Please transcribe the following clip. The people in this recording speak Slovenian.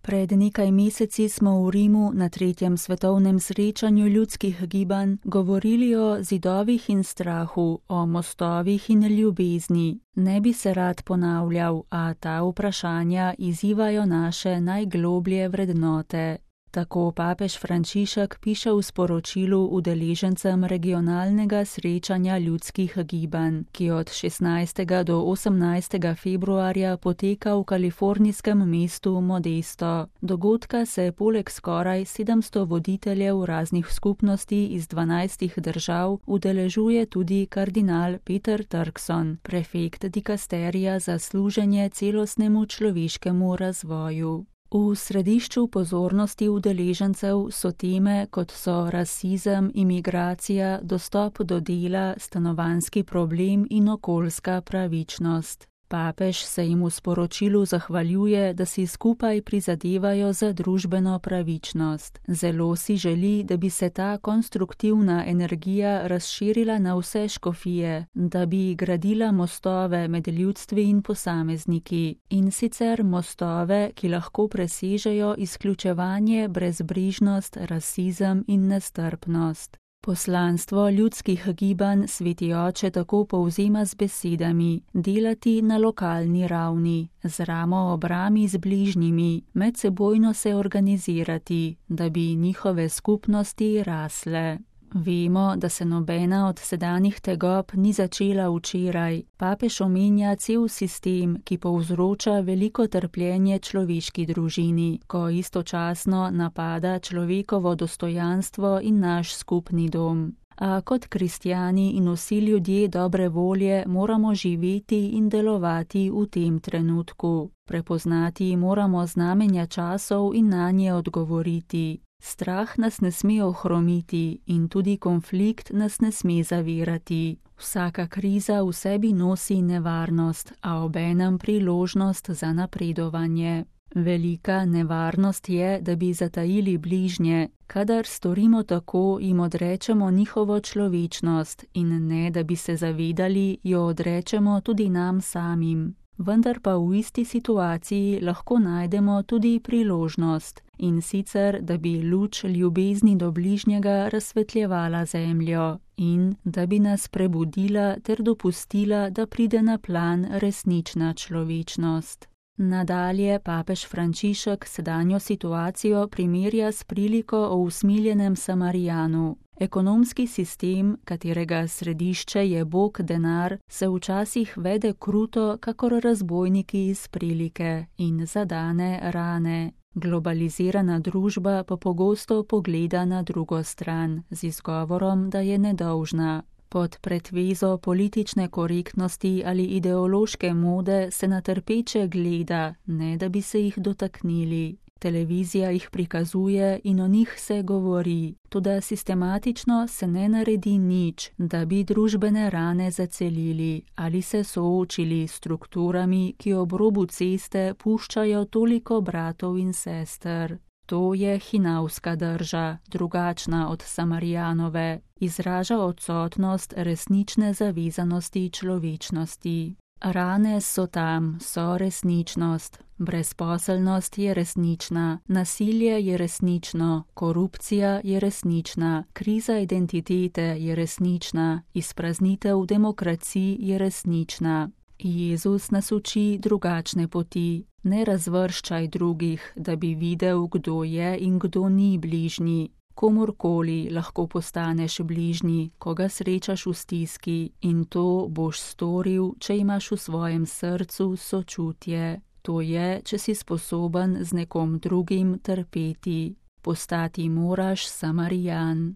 Pred nekaj meseci smo v Rimu na 3. svetovnem srečanju ljudskih gibanj govorili o zidovih in strahu, o mostovih in ljubezni. Ne bi se rad ponavljal, a ta vprašanja izzivajo naše najgloblje vrednote. Tako papež Frančišek piše v sporočilu udeležencem regionalnega srečanja ljudskih gibanj, ki od 16. do 18. februarja poteka v kalifornijskem mestu Modesto. Dogodka se poleg skoraj 700 voditeljev raznih skupnosti iz 12 držav udeležuje tudi kardinal Peter Turkson, prefekt dikasterija za služenje celostnemu človeškemu razvoju. V središču pozornosti udeležencev so teme, kot so rasizem, imigracija, dostop do dela, stanovanjski problem in okoljska pravičnost. Papež se jim v sporočilu zahvaljuje, da si skupaj prizadevajo za družbeno pravičnost. Zelo si želi, da bi se ta konstruktivna energija razširila na vse škofije, da bi gradila mostove med ljudstvi in posamezniki, in sicer mostove, ki lahko presežejo izključevanje, brezbrižnost, rasizem in nestrpnost. Poslanstvo ljudskih gibanj Sveti Oče tako povzema z besedami: delati na lokalni ravni, z ramo ob rami z bližnjimi, medsebojno se organizirati, da bi njihove skupnosti rasle. Vemo, da se nobena od sedanjih tegob ni začela včeraj. Papež omenja cel sistem, ki povzroča veliko trpljenje človeški družini, ko istočasno napada človekovo dostojanstvo in naš skupni dom. A kot kristjani in vsi ljudje dobre volje moramo živeti in delovati v tem trenutku. Prepoznati moramo znamenja časov in nanje odgovoriti. Strah nas ne sme ohromiti in tudi konflikt nas ne sme zavirati. Vsaka kriza v sebi nosi nevarnost, a obenem priložnost za napredovanje. Velika nevarnost je, da bi zatajili bližnje. Kadar storimo tako, jim odrečemo njihovo človečnost in ne, da bi se zavedali, jo odrečemo tudi nam samim. Vendar pa v isti situaciji lahko najdemo tudi priložnost, in sicer, da bi luč ljubezni do bližnjega razsvetljevala zemljo in da bi nas prebudila ter dopustila, da pride na plan resnična človečnost. Nadalje papež Frančišek sedanjo situacijo primerja s priliko o usmiljenem Samarijanu. Ekonomski sistem, katerega središče je Bog denar, se včasih vede kruto, kakor razbojniki iz prilike, in zadane rane. Globalizirana družba pa pogosto pogleda na drugo stran, z izgovorom, da je nedolžna. Pod pretvezo politične korektnosti ali ideološke mode se na trpeče gleda, ne da bi se jih dotaknili. Televizija jih prikazuje in o njih se govori, toda sistematično se ne naredi nič, da bi družbene rane zacelili ali se soočili s strukturami, ki ob robu ceste puščajo toliko bratov in sester. To je hinavska drža, drugačna od Samarijanove, izraža odsotnost resnične zavezanosti človečnosti. Rane so tam, so resničnost. Brezposelnost je resnična, nasilje je resnično, korupcija je resnična, kriza identitete je resnična, izpraznitev demokracij je resnična. Jezus nas uči drugačne poti. Ne razvrščaj drugih, da bi videl, kdo je in kdo ni bližnji. Komurkoli lahko postaneš bližnji, ko ga srečaš v stiski, in to boš storil, če imaš v svojem srcu sočutje. To je, če si sposoben z nekom drugim trpeti. Postati moraš Samarijan.